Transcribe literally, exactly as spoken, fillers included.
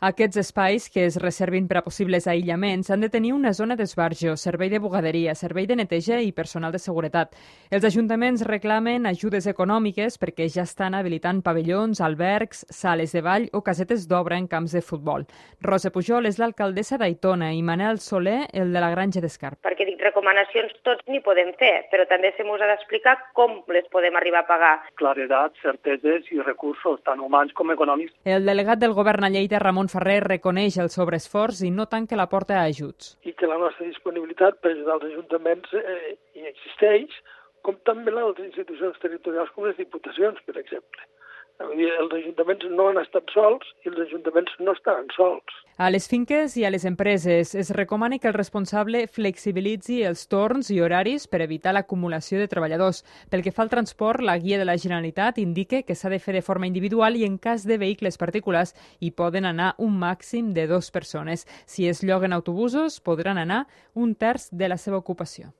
Aquests espais, que es reservin per a possibles aïllaments, han de tenir una zona d'esbarjo, servei de bugaderia, servei de neteja i personal de seguretat. Els ajuntaments reclamen ajudes econòmiques perquè ja estan habilitant pavellons, albergs, sales de ball o casetes d'obra en camps de futbol. Rosa Pujol és l'alcaldessa d'Aitona i Manel Soler, el de la Granja d'Escarp. Perquè dic, recomanacions tots n'hi podem fer, però també se mos ha d'explicar com les podem arribar a pagar. Claredat, certeses i recursos, tant humans com econòmics. El delegat del govern a Lleida, Ramon Ferrer, reconeix el sobreesforç i no tanca la porta a ajuts. I que la nostra disponibilitat per ajudar els ajuntaments eh, hi existeix, com també les altres institucions territorials com les diputacions, per exemple. Els ajuntaments no han estat sols i els ajuntaments no estan sols. A les finques i a les empreses es recomana que el responsable flexibilitzi els torns i horaris per evitar l'acumulació de treballadors. Pel que fa al transport, la guia de la Generalitat indica que s'ha de fer de forma individual i en cas de vehicles particulars hi poden anar un màxim de dues persones. Si es lloguen autobusos, podran anar un terç de la seva ocupació.